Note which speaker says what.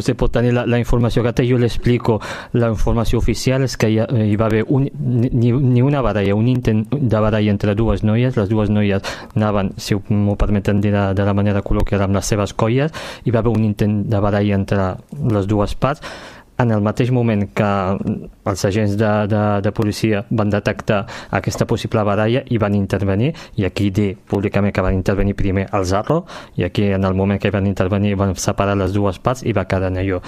Speaker 1: Vostè pot tenir la informació que té, jo l'explico. La informació oficial és que hi va haver ni una baralla, un intent de baralla entre dues noies. Les dues noies anaven, si m'ho permeten dir de la manera col·loquial, amb les seves colles. Hi va haver un intent de baralla entre les dues parts. En el mateix moment que els agents de policia van detectar aquesta possible baralla i van intervenir, i aquí dir públicament que van intervenir primer el Zarro, i aquí en el moment que van intervenir van separar les dues parts i va quedar en allò.